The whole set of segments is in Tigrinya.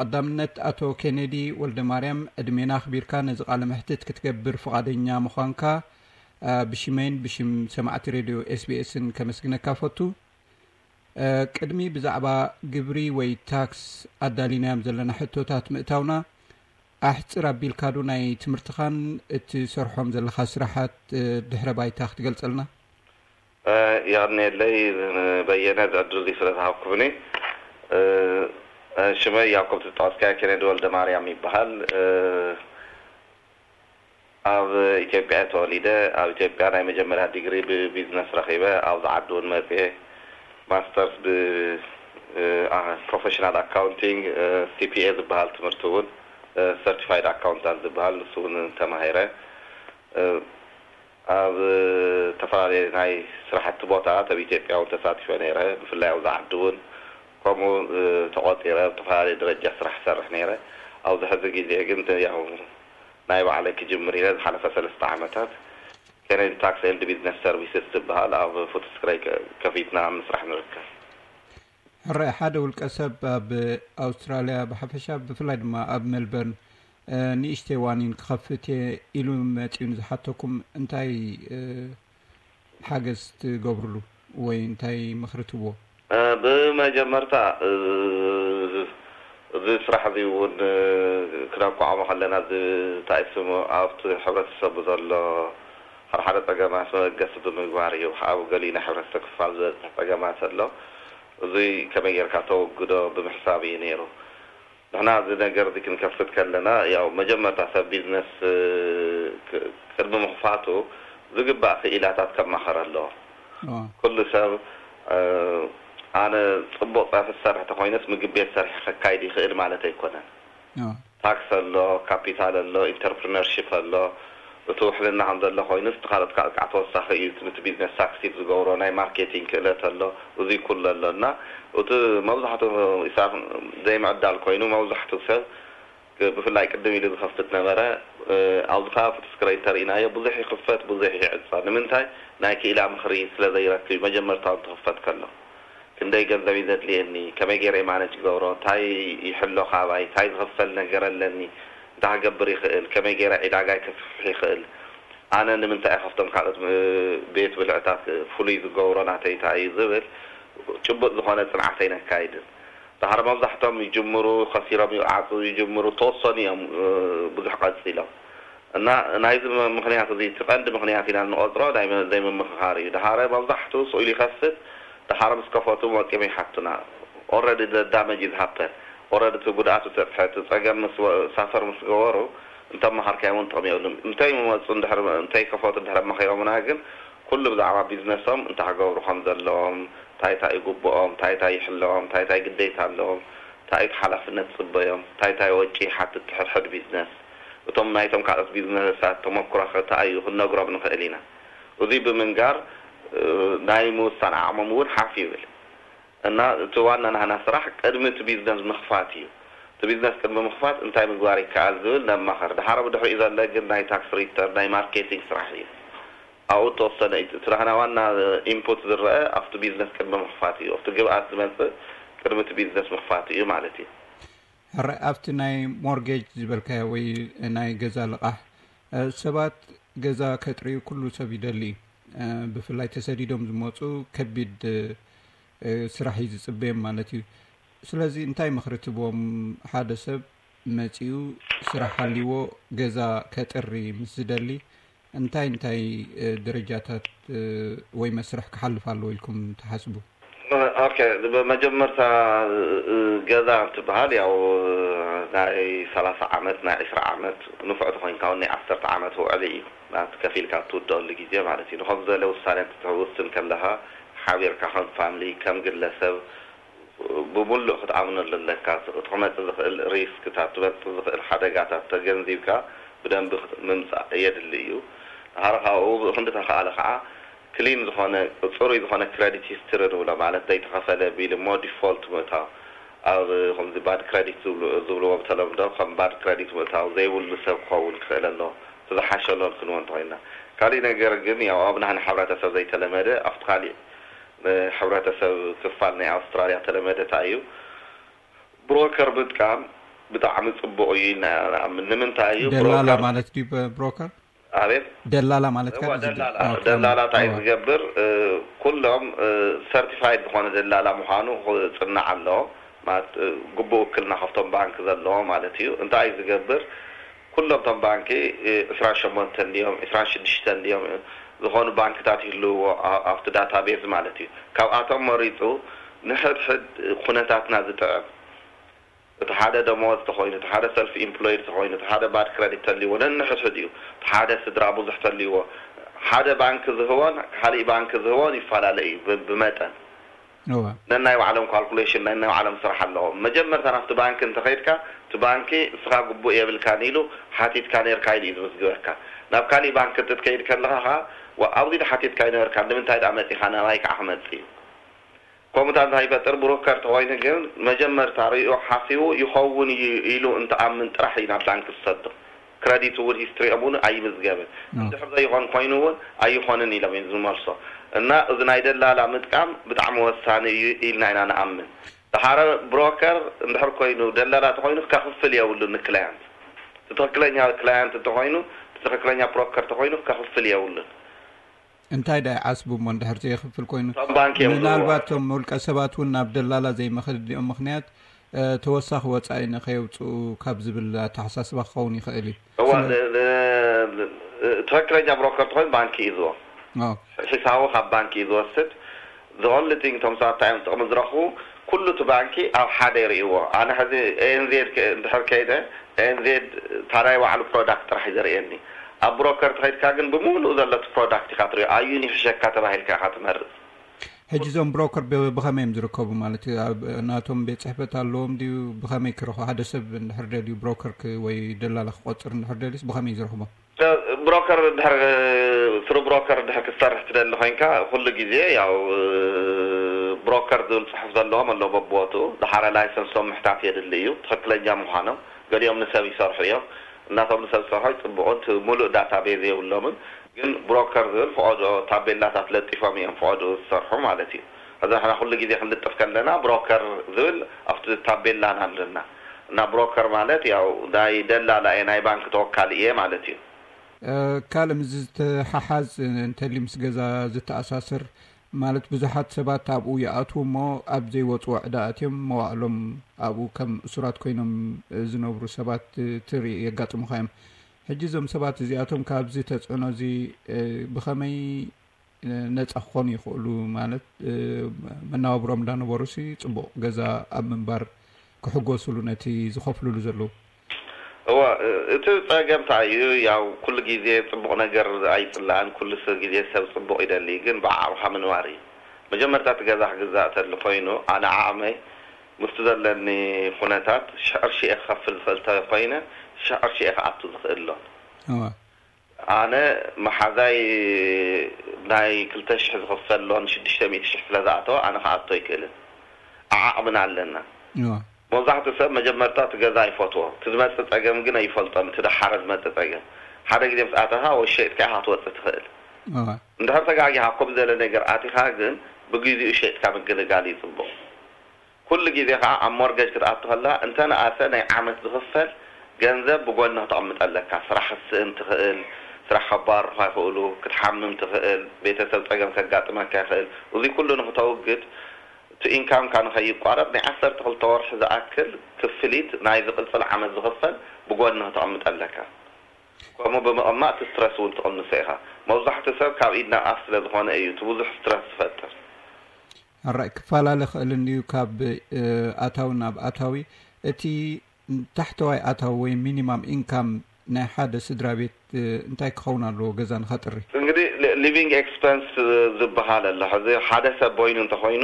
ቀዳምነት ኣቶ ኬኔዲ ወልደ ማርያም፣ ዕድሜና ኣኽቢርካ ነዚ ቃለ መሕትት ክትገብር ፍቓደኛ ምዃንካ፣ እ፣ ብሽመይን ብሽም ሰማዕቲ ሬድዮ ኤስቢኤስን ከመስግነካ እፈቱ። እ፣ ቅድሚ ብዛዕባ ግብሪ ወይ ታክስ ኣዳሊናዮም ዘለና ሕቶታት ምእታውና፣ ኣሕጽር ኣቢልካዶ ናይ ትምህርትኻን እትሰርሖም ዘለኻ ስራሓት፣ እ፣ ድሕረ ባይታ ክትገልጸልና? እ፣ የቐንየለይ በየነ፣ እዚ ዕድል እዚ ስለ ዝሃብኩምኒ። እ፣ እ፣ ሽመይ ያው ከምቲ ዝጠቐስካዮ ኬኔዲ ወልደ ማርያም ይበሃል። እ፣ ኣብ ኢትዮጵያ እየ ተወሊደ። ኣብ ኢትዮጵያ ናይ መጀመርያ ዲግሪ ብቢዝነስ ረኺበ። ኣብዚ ዓዲ እውን መፅየ ማስተርስ ብ፣ እ፣ አ-፣ ፕሮፌሽናል ኣካውንቲንግ፣ እ፣ ሲፒኤ ዝበሃል ትምህርቲ እውን፣ እ፣ ሰርቲፋይድ ኣካውንታንት ዝበሃል ንሱ እውን ተማሂረ። እ፣ ኣብ ዝተፈላለዩ ናይ ስራሕቲ ቦታታት ኣብ ኢትዮጵያ እውን ተሳቲፈ ነይረ። ብፍላይ ኣብዚ ዓዲ እውን ከምኡ፣ እ፣ ተቖፂረ ኣብ ዝተፈላለዩ ደረጃ ስራሕ ሰርሕ ነይረ። ኣብዚ ሕዚ ግዜ ግን ተ-፣ ያው ናይ ባዕለይ ክጅምር ኢለ ዝሓለፈ ሰለስተ ዓመታት ኬነዲ ታክስ ኤንድ ቢዝነስ ሰርቪስስ ዝበሃል ኣብ ፉትስክረይ ከ-፣ ከፊትና ኣብ ምስራሕ ንርከብ። ሕራይ ሓደ ውልቀ ሰብ ኣብ ኣውስትራልያ ብሓፈሻ ብፍላይ ድማ ኣብ ሜልበርን፣ እ፣ ንእሽተይ ዋኒን ክኸፍት እየ ኢሉ መጺኡ ንዝሓተኩም እንታይ፣ እ፣ ሓገዝ ትገብርሉ ወይ እንታይ ምኽሪ ትህብዎ? እ፣ ብመጀመርታ፣ እ፣ እዚ ስራሕ እዚ እውን፣ እ፣ ክነቋዕሞ ከለና እዚ እንታይ ስሙ ኣብቲ ሕብረተሰብ ዘሎ ሓደ ሓደ ጸገማት መበገሲ ብምግባር እዩ። ኣብ ገሊኡ ናይ ሕብረተሰብ ክፋል ዝበጽሕ ጸገማት ኣሎ። እዚ ከመይ ጌርካ ተወግዶ ብምሕሳብ እዩ ነይሩ። ንሕና እዚ ነገር እዚ ክንከፍት ከለና፣ ያው መጀመርታ ሰብ ቢዝነስ፣ እ፣ ክ-፣ ቅድሚ ምኽፋቱ ዝግባእ ክኢላታት ከማኸር ኣለዎ። ኣዎ። ኩሉ ሰብ፣ እ፣ ኣነ ጽቡቕ ጸብሒ ዝሰርሕ ተኾይነስ ምግቢ ቤት ሰሪሐ ከካይድ ይኽእል ማለት ኣይኮነን። ኣዎ። ታክስ ኣሎ፣ ካፒታል ኣሎ፣ ኢንተርፕርነርሺፕ ኣሎ። እቲ ውሕልና ከም ዘሎ ኮይኑስ፣ እቲ ካልኦት ከዓ፣ ከዓ ተወሳኺ እዩ። እቲ ነቲ ቢዝነስ ሳክሲድ ዝገብሮ ናይ ማርኬቲንግ ክእለት ኣሎ። እዙይ ኩሉ ኣሎ እና፣ እቲ መብዛሕትኡ ኢሳፍ ዘይምዕዳል ኮይኑ፣ መብዛሕትኡ ሰብ፣ ብፍላይ ቅድም ኢሉ ዝኸፍት ነበረ። እ፣ ኣብዚ ከዓ ፉትስክረይ እንተርኢናዮ፣ ብዙሕ ይኽፈት፣ ብዙሕ ይዕጸ። ንምንታይ? ናይ ክኢላ ምኽሪ ስለ ዘይረክብ እዩ፣ መጀመርታ እውን ትኽፈት ከሎ። ክንደይ ገንዘብ እዩ ዘድልየኒ? ከመይ ገይረ እየ ማነጅ ክገብሮ? እንታይ ይሕሎ ካባይ? እንታይ ዝኽፈል ነገር ኣለኒ? እንታይ ክገብር ይኽእል? ከመይ ገይረ ዕዳጋይ ከስፍሕ ይኽእል? ኣነ ንምንታይ እየ ካብቶም ካልኦት ም-፣ ቤት ብልዕታት ፍሉይ ዝገብሮ ናተይ እንታይ እዩ ዝብል ጭቡጥ ዝኾነ ጽንዓት ኣይነካይድን። ደሓር መብዛሕቶም ይጅምሩ፣ ከሲሮም ይዓጹ፣ ይጅምሩ፣ ተወሰኑ እዮም፣ እ፣ ብዙሕ ቀጺሎም። እና ናይዚ ም-፣ ምኽንያት እዚ፣ እቲ ቀንዲ ምኽንያት ኢና እንቆጽሮ፣ ናይ መ-፣ ዘይምምኽኻር እዩ። ደሓረ መብዛሕትኡ ስኢሉ ይኸፍት፣ ደሓረ ምስ ከፈቱ መጺኦም ይሓቱና። ኦልረዲ ደ-፣ ዳመጅ እዩ ዝሃፐን። ኦልረዲ እቲ ጉድኣት በጽሐ፣ እቲ ጸገም ምስ ወ-፣ ሳፈር ምስ ገበሩ፣ እንተመኻርካዮም እውን ጥቕሚ የብሉን። እንተይ መመጹ እንድሕር፣ እንተይ ከፈቱ እንድሕር መኺሮምና ግን፣ ኩሉ ብዛዕባ ቢዝነሶም እንታይ ክገብሩ ከም ዘለዎም፣ እንታይ እንታይ እዩ ግቡኦም፣ እንታይ እንታይ ይሕለዎም፣ እንታይ እንታይ ግዴታ ኣለዎም፣ እንታይ እቲ ሓላፍነት ዝጽበዮም፣ እንታይ እንታይ ወጪ ይሓትት ሕድሕድ ቢዝነስ፣ እቶም ናይቶም ካልኦት ቢዝነሳት ተመክሮ ከ እንታይ እዩ ክንነግሮም ንኽእል ኢና። እዙይ ብምንጋር፣ እ፣ ናይ ምውሳን ዓቕሞም እውን ሓፍ ይብል። እና እቲ ዋና ናህና ስራሕ ቅድሚ እቲ ቢዝነስ ምኽፋት እዩ። እቲ ቢዝነስ ቅድሚ ምኽፋት እንታይ ምግባር ይከኣል ዝብል ነማኸር። ደሓር ብድሕሪኡ ዘሎ ግን ናይ ታክስ ሪተርን ናይ ማርኬቲንግ ስራሕ እዩ። ኣብኡ እተወሰነ እዩ። እቲ ናህና ዋና ኢንፑት ዝረአ ኣብቲ ቢዝነስ ቅድሚ ምኽፋት እዩ። ኣብቲ ግብኣት ዝመጽእ ቅድሚ እቲ ቢዝነስ ምኽፋት እዩ ማለት እዩ። ሕራይ ኣብቲ ናይ ሞርጌጅ ዝበልካዮ ወይ ናይ ገዛ ልቓሕ፣ እ፣ ሰባት ገዛ ከጥርዩ ኩሉ ሰብ ይደሊ እዩ። እ፣ ብፍላይ ተሰዲዶም ዝመጹ ከቢድ፣ እ፣ ስራሕ እዩ ዝጽበዮም ማለት እዩ። ስለዚ እንታይ ምኽሪ ትህቦም? ሓደ ሰብ መጺኡ ስራሕ ሃልይዎ ገዛ ከጥሪ ምስ ዝደሊ እንታይ እንታይ፣ እ፣ ደረጃታት፣ እ፣ ወይ መስርሕ ክሓልፍ ኣለዎ ኢልኩም ትሓስቡ? ኦኬ፣ ብመጀመርታ፣ እ፣ ገዛ እንትበሃል ያው ናይ ሰላሳ ዓመት፣ ናይ ዕስራ ዓመት፣ ንፉዕ ተኾይንካ እውን ናይ ዓሰርተ ዓመት ውዕሊ እዩ። ናብቲ ከፊልካ እትውደአሉ ግዜ ማለት እዩ። ንኸም ዝበለ ውሳነ እንትትውስን ከለኻ ሓቢርካ ከም ፋምሊ፣ ከም ግለሰብ፣ ብምሉእ ክትኣምነሉ ኣለካ። እቲ ክመጽእ ዝኽእል ሪስክታት፣ ክመጽእ ዝኽእል ሓደጋታት ተገንዚብካ ብደንቢ ክት-፣ ምምጻእ የድሊ እዩ። ድሓር ካብኡ ብኽንዲ ተኸኣለ ከዓ ክሊን ዝኾነ፣ ጽሩይ ዝኾነ ክረዲት ሂስትሪ ንብሎ፣ ማለት ዘይተኸፈለ ቢል እሞ ዲፎልት ምእታው፣ ኣብ ከምዚ ባድ ክረዲት ዝብሉ-፣ ዝብልዎ ብተለምዶ ከም ባድ ክረዲት ምእታው ዘይብሉ ሰብ ክኸውን ክኽእል ኣለዎ። እቲ ዝሓሸ ሎን ክንወ እንተኾይንና። ካሊእ ነገር ግን ያው ኣብ ናህና ሕብረተሰብ ዘይተለመደ፣ ኣብቲ ካሊእ ንሕብረተሰብ ክፋል ናይ ኣውስትራልያ ተለመደ እንታይ እዩ? ብሮከር ምጥቃም ብጣዕሚ ጽቡቕ እዩ ኢልና ኢና ንኣምን። ንምንታይ እዩ? ደላላ ብሮከር ማለት ድዩ? ብሮከር ኣቤት ደላላ ማለት እዋ ደላላ ደላላ እንታይ እዩ ዝገብር? ኩሎም ሰርቲፋይድ ዝኾነ ደላላ ምዃኑ ክጽናዕ ኣለዎ። ማለት ግቡእ ውክልና ካብቶም ባንክ ዘለዎ ማለት እዩ። እንታይ እዩ ዝገብር? ኩሎም ቶም ባንኪ ዕስራን ሸሞንተን ድዮም ዕስራን ሽዱሽተን ድዮም ዝኾኑ ባንክታት ይህልውዎ ኣብቲ ዳታቤዝ ማለት እዩ። ካብኣቶም መሪፁ ንሕድሕድ ኩነታትና ዝጥዕም እቲ ሓደ ደመወዝ ተኾይኑ፣ እቲ ሓደ ሰልፍ ኢምፕሎይድ ተኾይኑ፣ እቲ ሓደ ባድ ክረዲት ተልይዎ ነንሕድሕድ እዩ። እቲ ሓደ ስድራ ብዙሕ ተልይዎ ሓደ ባንክ ዝህቦን ካሊእ ባንክ ዝህቦን ይፈላለ እዩ ብመጠን እወ ነናይ ባዕሎም ካልኩሌሽን ነናይ ባዕሎም ስራሕ ኣለዎም። መጀመርታ ናብቲ ባንክ እንተኸይድካ እቲ ባንኪ እስኻ ግቡእ የብልካን ኢሉ ሓቲትካ ነርካ ኢሉ እዩ ዝምዝግበካ። ናብ ካሊእ ባንክ ክትከይድ ከለኻ ከዓ ዋ ኣብዚ ዶ ሓቲትካ ይነበርካ ንምንታይ ደኣ መፂኻ ናባይ ከዓ ክመፅእ እዩ። ከምኡታት እንታይ ይፈጥር? ብሮከር ተኾይኑ ግን መጀመርታ ርእዩ ሓሲቡ ይኸውን እዩ ኢሉ እንትኣምን ጥራሕ እዩ ናብ ባንክ ዝሰዶ። ክረዲት እውን ሂስትሪኦም እውን ኣይምዝገብን። እንድሕር ዘይኾን ኮይኑ እውን ኣይኾንን ኢሎም እዮም ዝመልሶ። እና እዚ ናይ ደላላ ምጥቃም ብጣዕሚ ወሳኒ እዩ ኢልና ኢና ንኣምን። ድሓረ ብሮከር እንድሕር ኮይኑ ደላላ ተኾይኑ ከኽፍል የብሉ ንክላያንት ትክክለኛ ክላያንት እንተኾይኑ ትክክለኛ ብሮከር ተኾይኑ ከኽፍል የብሉን። እንታይ ዳ ይዓስቡ እሞ እንድሕር ዘይኽፍል ኮይኑ እቶም ባንክ እዮም ዝህብዎ። ምናልባት እቶም ውልቀ ሰባት እውን ናብ ደላላ ዘይመኸድ ዲኦም ምክንያት ተወሳኺ ወፃኢ ንኸየውፅኡ ካብ ዝብል ኣተሓሳስባ ክኸውን ይኽእል እዩ። እዋ ስለ- ን- ን- ትክክለኛ ብሮከር ተኮይኑ ባንኪ እዩ ዝወ ኦ፣ ሒሳቡ ካብ ባንኪ እዩ ዝወስድ። The only thing እቶም ሰባት እንታይ እዮም ጥቅሚ ዝረኽቡ? ኩሉ እቲ ባንኪ ኣብ ሓደ ይርእይዎ። ኣነ ሕዚ ኤንዜድ እንድሕር ከይደ ኤንዜድ ታናይ ባዕሉ ፕሮዳክት ጥራሕ እዩ ዘርእየኒ። ኣብ ብሮከር ተኸይድካ ግን ብምሉእ ዘሎ እቲ ፕሮዳክት ኢካ ትርእዮ። ኣዩ ይሕሸካ ተባሂልካ ኢካ ትመርፅ። ሕጂ እዞም ብሮከር ብ- ብኸመይ እዮም ዝርከቡ ማለት እዩ? ኣብ ናቶም ቤት ፅሕፈት ኣለዎም ድዩ? ብኸመይ ክረኽቡ? ሓደ ሰብ እንድሕር ደልዩ ብሮከር ክ- ወይ ደላላ ክቆፅር እንድሕር ደልዩስ ብኸመይ እዩ ዝረኽቦ? ብሮከር ድሕር ስሩ ብሮከር ድሕር ክትሰርሕ ትደሊ ኮይንካ ኩሉ ግዜ ያው ብሮከር ዝብል ፅሑፍ ዘለዎም ኣሎ በቦቱ ድሓረ ላይሰንሶም ምሕታት የድሊ እዩ። ትክክለኛ ምዃኖም ገሊኦም ንሰብ ይሰርሑ እዮም። እናቶም ንሰብ ዝሰርሑ ይፅብቑን እቲ ሙሉእ ዳታ ቤዝ የብሎምን። ግን ብሮከር ዝብል ፍቐዶ ታቤላታት ለጢፎም እዮም ፍቐዶ ዝሰርሑ ማለት እዩ። እዚ ንሕና ኩሉ ግዜ ክንልጥፍ ከለና ብሮከር ዝብል ኣብቲ ታቤላና ኣለና። እና ብሮከር ማለት ያው ናይ ደላላ እየ ናይ ባንክ ተወካሊ እየ ማለት እዩ። ካልእ ምስ ዝተሓሓዝ እንተሊ ምስ ገዛ ዝተኣሳስር ማለት ብዙሓት ሰባት ኣብኡ ይኣትዉ እሞ ኣብ ዘይወፅዎ ዕዳ ኣትዮም መዋእሎም ኣብኡ ከም እሱራት ኮይኖም ዝነብሩ ሰባት ትርኢ የጋጥሙኻ እዮም። ሕጂ እዞም ሰባት እዚኣቶም ካብዚ ተፅዕኖ እዚ ብኸመይ ነፃ ክኾኑ ይኽእሉ? ማለት መናባብሮም እንዳነበሩ ሲ ፅቡቕ ገዛ ኣብ ምንባር ክሕጎስሉ ነቲ ዝኸፍልሉ ዘለዉ። እወ እቲ ፀገም እንታይ እዩ? ያው ኩሉ ግዜ ፅቡቕ ነገር ኣይፅላእን። ኩሉ ስ- ግዜ ሰብ ፅቡቕ ይደሊ፣ ግን ብዓቕምኻ ምንባር እዩ። መጀመርታ እቲ ገዛ ክግዛእ ተሊ ኮይኑ ኣነ ዓቕመይ ምስቲ ዘለኒ ኩነታት ሽሕ ቅርሺ እየ ክኸፍል ዝኽእል ተኮይነ ሽሕ ቅርሺ እየ ክኣቱ ዝኽእል ኣሎን። እወ ኣነ መሓዛይ ናይ ክልተ ሽሕ ዝኽፈል ኣሎ ንሽዱሽተ ሚእቲ ሽሕ ስለ ዝኣተወ ኣነ ክኣቶ ኣይክእልን። ዓዓቕምና ኣለና። እወ መብዛሕትኡ ሰብ መጀመርታ እቲ ገዛ ይፈትዎ፣ እቲ ዝመፅእ ፀገም ግን ኣይፈልጦን። እቲ ደሓረ ዝመፅእ ፀገም ሓደ ግዜ ምስ ኣተኻ ወይ ሸይጥካ ኢኻ ክትወፅእ ትኽእል። እወ እንድሕር ተጋጊኻ ከምዚ ዝበለ ነገር ኣቲኻ ግን ብግዜኡ ሸይጥካ ምግልጋል እዩ ፅቡቕ። ኩሉ ግዜ ከዓ ኣብ ሞርገጅ ክትኣቱ ከለካ እንተነኣሰ ናይ ዓመት ዝኽፈል ገንዘብ ብጎኒ ክተቕምጥ ኣለካ። ስራሕ ክትስእን ትኽእል፣ ስራሕ ከባርሩኻ ይኽእሉ፣ ክትሓምም ትኽእል፣ ቤተሰብ ፀገም ከጋጥመካ ይኽእል። እዚ ኩሉ ንክተውግድ እቲ ኢንካምካ ንኸይቋረፅ ናይ ዓሰርተ ክልተ ወርሒ ዝኣክል ክፍሊት ናይ ዝቕፅል ዓመት ዝኽፈል ብጎኒ ክተቕምጥ ኣለካ። ከምኡ ብምቕማጥ እቲ ስትረስ እውን ትቕንሶ ኢኻ። መብዛሕትኡ ሰብ ካብ ኢድ ናብ ኣፍ ስለ ዝኾነ እዩ እቲ ብዙሕ ስትረስ ዝፈጥር። ሕራይ ክፈላለ ክእል እንድዩ ካብ ኣታዊ ናብ ኣታዊ። እቲ ታሕተዋይ ኣታዊ ወይ ሚኒማም ኢንካም ናይ ሓደ ስድራ ቤት እንታይ ክኸውን ኣለዎ ገዛ ንኸጥሪ? እንግዲህ ሊቪንግ ኤክስፐንስ ዝበሃል ኣሎ። ሕዚ ሓደ ሰብ በይኑ እንተኾይኑ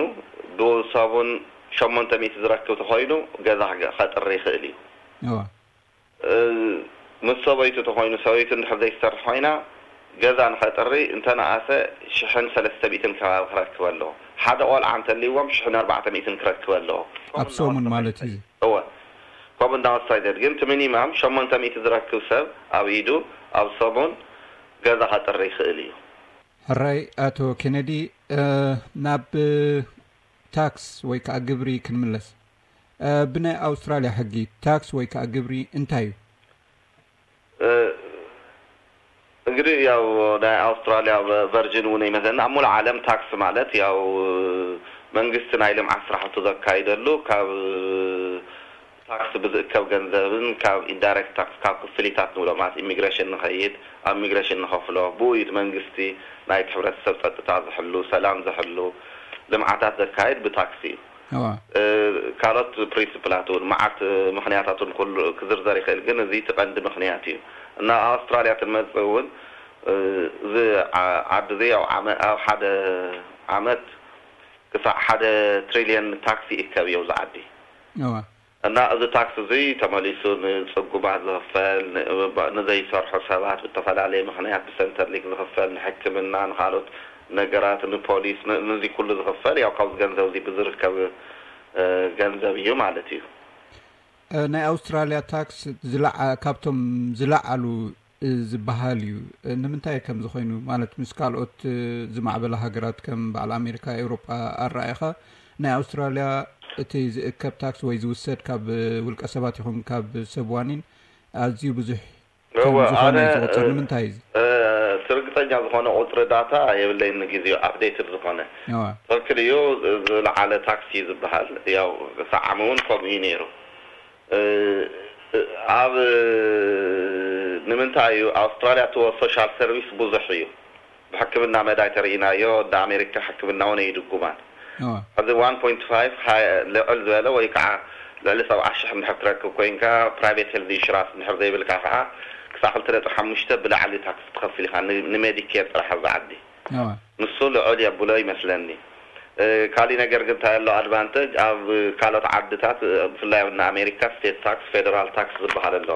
ብሰቡን ሸሞንተ ሚእቲ ዝረክብ ተኾይኑ ገዛ ከጥሪ ይኽእል እዩ። እዋ ምስ ሰበይቱ ተኾይኑ ሰበይቱ እንድሕር ዘይትሰርሕ ኮይና ገዛ ንኸጥሪ እንተነኣሰ ሽሕን ሰለስተ ሚእትን ከባቢ ክረክብ ኣለዎ። ሓደ ቆልዓ እንተልይዎም ሽሕን ኣርባዕተ ሚእትን ክረክብ ኣለዎ። ኣብ ሰሙን ማለት እዩ። እወ ከምኡ እንዳወሳይ ዘድ ግን እቲ ሚኒማም ሸሞንተ ሚእቲ ዝረክብ ሰብ ኣብ ኢዱ ኣብ ሰሙን ገዛ ከጥሪ ይኽእል እዩ። ሕራይ ኣቶ ኬነዲ ናብ ታክስ ወይ ከዓ ግብሪ ክንምለስ። ብናይ ኣውስትራልያ ሕጊ ታክስ ወይ ከዓ ግብሪ እንታይ እዩ? እንግዲህ ያው ናይ ኣውስትራልያ ቨርጅን እውን ይመስለና ኣብ ሙሉእ ዓለም ታክስ ማለት ያው መንግስቲ ናይ ልምዓት ስራሕቱ ዘካይደሉ ካብ ታክስ ብዝእከብ ገንዘብን ካብ ኢንዳይሬክት ታክስ ካብ ክፍሊታት ንብሎ ማለት ኢሚግሬሽን ንኸይድ ኣብ ኢሚግሬሽን ንኸፍሎ ብኡ እዩ መንግስቲ ናይቲ ሕብረተሰብ ፀጥታ ዝሕሉ ሰላም ዝሕሉ ልምዓታት ዘካይድ ብታክሲ እዩ። ካልኦት ፕሪንስፕላት እውን መዓት ምክንያታት እውን ክዝርዘር ይኽእል ግን እዚ እቲ ቀንዲ ምክንያት እዩ። እና ኣውስትራልያ ትመፅእ እውን እዚ ዓዲ እዚ ኣብ ሓደ ዓመት ክሳዕ ሓደ ትሪልየን ታክሲ ይእከብ እዩ ኣብዚ ዓዲ። እና እዚ ታክስ እዚ ተመሊሱ ንፅጉማት ዝኽፈል ንዘይሰርሑ ሰባት ብተፈላለየ ምክንያት ብሰንተር ሊክ ዝኽፈል ንሕክምና ንካልኦት ነገራት ንፖሊስ ነዚ ኩሉ ዝኽፈል ያው ካብዚ ገንዘብ እዚ ብዝርከብ ገንዘብ እዩ ማለት እዩ። ናይ ኣውስትራልያ ታክስ ካብቶም ዝለዓሉ ዝበሃል እዩ። ንምንታይ ከም ዝኾይኑ ማለት ምስ ካልኦት ዝማዕበላ ሃገራት ከም በዓል ኣሜሪካ፣ ኤውሮጳ ኣረኣኢኻ ናይ ኣውስትራልያ እቲ ዝእከብ ታክስ ወይ ዝውሰድ ካብ ውልቀ ሰባት ይኹን ካብ ሰብ ዋኒን ኣዝዩ ብዙሕ ከምዝኾነ እዩ ዝቆፀር። ንምንታይ እዩ እዚ? እቲ ርግፀኛ ዝኾነ ቁፅሪ ዳታ የብለይን ንግዜኡ ኣፕዴትድ ዝኾነ። ትኽክል እዩ። ዝለዓለ ታክሲ ዝበሃል ያው ሰዓሚ እውን ከምኡ እዩ ነይሩ። ኣብ ንምንታይ እዩ ኣውስትራልያ እትዎ ሶሻል ሰርቪስ ብዙሕ እዩ። ብሕክምና መዳይ ተርኢናዮ እንዳ ኣሜሪካ ሕክምና እውን ኣይድጉማን። ሕዚ ዋን ፖይንት ፋይቭ ልዕል ዝበለ ወይ ከዓ ልዕሊ ሰብዓ ሽሕ እንድሕር ትረክብ ኮይንካ ፕራይቬት ሄልዝ ኢንሹራንስ እንድሕር ዘይብልካ ከዓ ክሳዕ ክልተ ነጥቢ ሓሙሽተ ብላዕሊ ታክስ ትኸፍል ኢኻ ንሜዲኬር ጥራሕ ኣብዚ ዓዲ። ንሱ ልዑል የብሎ ይመስለኒ። ካሊእ ነገር ግን እንታይ ኣሎ ኣድቫንተጅ ኣብ ካልኦት ዓድታት ብፍላይ ኣብ ኣሜሪካ ስቴት ታክስ ፌደራል ታክስ ዝበሃል ኣሎ።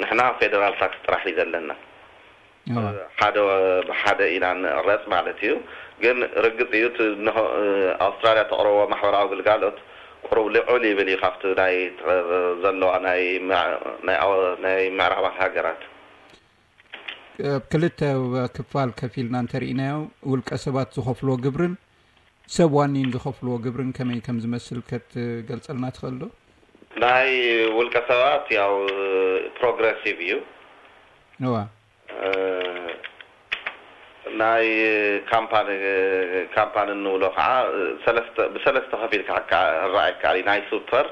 ንሕና ፌደራል ታክስ ጥራሕ እዩ ዘለና። ሓደ ብሓደ ኢና ንቕረፅ ማለት እዩ። ግን ርግፅ እዩ ኣውስትራልያ ተቕረቦ ማሕበራዊ ግልጋሎት ቁሩብ ልዑል ይብል እዩ ካብቲ ናይ ዘለዋ ናይ ምዕራባት ሃገራት። ኣብ ክልተ ክፋል ከፊልና እንተርኢናዮ ውልቀ ሰባት ዝኸፍልዎ ግብርን ሰብ ዋኒን ዝኸፍልዎ ግብርን ከመይ ከም ዝመስል ክትገልፀልና ትኽእል ዶ? ናይ ውልቀ ሰባት ያው ፕሮግረሲቭ እዩ። እዋ ናይ ካምፓኒ ካምፓኒ እንብሎ ከዓ ብሰለስተ ከፊልካ ክረኣ ይከኣል እዩ። ናይ ሱፐር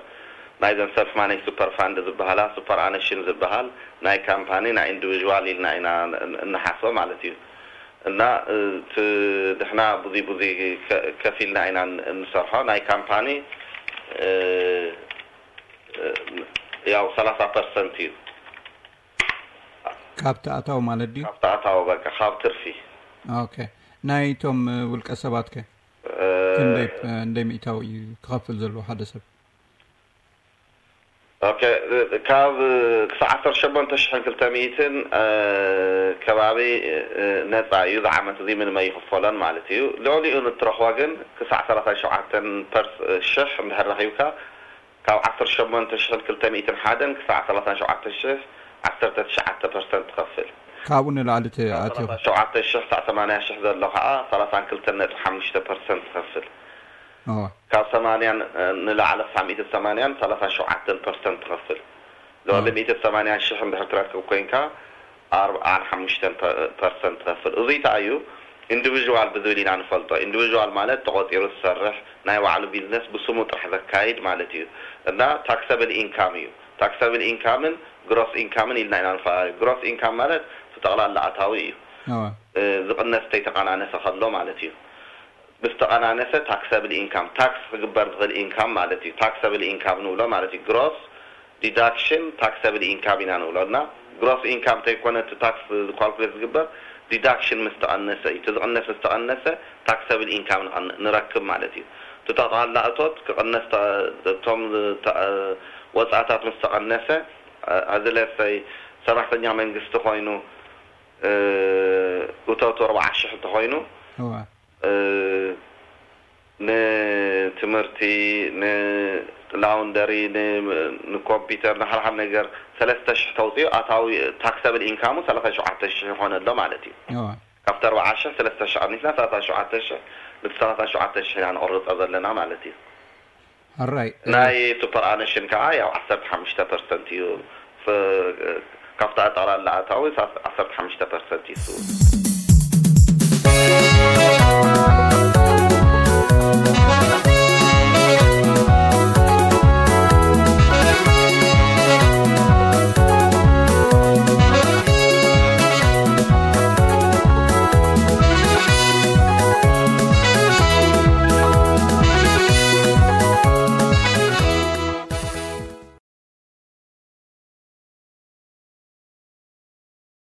ናይዘን ሰልፍ ማኔጅ ሱፐር ፋንድ ዝበሃላ ሱፐር ኣነሽን ዝበሃል ናይ ካምፓኒ ናይ ኢንዲቪዥዋል ኢልና ኢና እንሓስቦ ማለት እዩ። እና እቲ ንሕና ብዙ ብዙ ከፊልና ኢና እንሰርሖ ናይ ካምፓኒ ያው ሰላሳ ፐርሰንት እዩ። ካብቲ ኣታዊ ማለት ድዩ? ካብቲ ኣታዊ በቃ ካብ ትርፊ። ኦኬ ናይቶም ውልቀ ሰባት ከ ክንደይ እንደይ ሚእታዊ እዩ ክኸፍል ዘለዎ ሓደ ሰብ? ኦኬ ካብ ክሳዕ ዓሰርተ ሸሞንተ ሽሕን ክልተ ሚእትን ከባቢ ነፃ እዩ። ዝዓመት እዚ ምንም ኣይኽፈሎን ማለት እዩ። ልዕሊኡ ንትረኽቦ ግን ክሳዕ ሰላሳ ሸውዓተ ሽሕ እንድሕር ረኺብካ ካብ ዓሰርተ ሸሞንተ ሽሕን ክልተ ሚእትን ሓደን ክሳዕ ሰላሳን ሸውዓተ ሽሕ ዓሰርተ ትሽዓተ ፐርሰንት ትኸፍል። ካብኡ ንላዕሊ ትኣትዮ። ሰላሳ ሸውዓተ ሽሕ ክሳዕ ሰማንያ ሽሕ ዘሎ ከዓ ሰላሳን ክልተን ነጥቢ ሓሙሽተ ፐርሰንት ትኸፍል። እወ። ካብ ሰማንያን ንላዕሊ ክሳዕ ሚእትን ሰማንያን ሰላሳን ሸውዓተን ፐርሰንት ትኸፍል። ልዕሊ ሚእትን ሰማንያን ሽሕ እንድሕር ትረክብ ኮይንካ ኣርብዓን ሓሙሽተን ፐርሰንት ትኸፍል። እዙይ እንታይ እዩ? ኢንዲቪዥዋል ብዝብል ኢና ንፈልጦ። ኢንዲቪዥዋል ማለት ተቖፂሩ ዝሰርሕ ናይ ባዕሉ ቢዝነስ ብስሙ ጥራሕ ዘካይድ ማለት እዩ። እና ታክሰብል ኢንካም እዩ። ታክሰብል ኢንካምን ግሮስ ኢንካምን ኢልና ኢና ንፈላለዩ። ግሮስ ኢንካም ማለት እቲ ጠቕላላ ኣታዊ እዩ። እወ። ዝቕነስ ተይተቐናነሰ ከሎ ማለት እዩ። ምስ ተቐናነሰ ታክሰብል ኢንካም ታክስ ክግበር ዝኽእል ኢንካም ማለት እዩ። ታክሰብል ኢንካም ንብሎ ማለት እዩ። ግሮስ ዲዳክሽን ታክሰብል ኢንካም ኢና ንብሎ እና ግሮስ ኢንካም ተይኮነ እቲ ታክስ ኳልኩሌት ዝግበር ዲዳክሽን ምስ ተቐነሰ እዩ። እቲ ዝቕነስ ምስ ተቐነሰ ታክሰብል ኢንካም ንረክብ ማለት እዩ። እቲ ጠቕላላ እቶት ክቕነስ እቶም ወፃእታት ምስ ተቐነሰ እዚ ለሰይ ሰራሕተኛ መንግስቲ ኮይኑ እቶቱ ኣርባዓ ሽሕ እንተኾይኑ እወ። ንትምህርቲ ንላውንደሪ ንኮምፒውተር ንሓድሓድ ነገር ሰለስተ ሽሕ ተውፅኡ ኣታዊ ታክሰብል ኢንካሙ ሰላሳ ሸውዓተ ሽሕ ይኾነ ኣሎ ማለት እዩ። እወ። ካብቲ ኣርባዓ ሽሕ ሰለስተ ሽሕ ቀኒስና ሰላሳ ሸውዓተ ሽሕ ነቲ ሰላሳ ሸውዓተ ሽሕ ኢና ንቕርፆ ዘለና ማለት እዩ። ኣራይ ናይ ሱፐር ኣነሽን ከዓ ያው ዓሰርተ ሓሙሽተ ፐርሰንት እዩ። ፍ- ካብታ ጠቕላላ ኣታዊ ዓሰርተ ሓሙሽተ ፐርሰንት እዩ።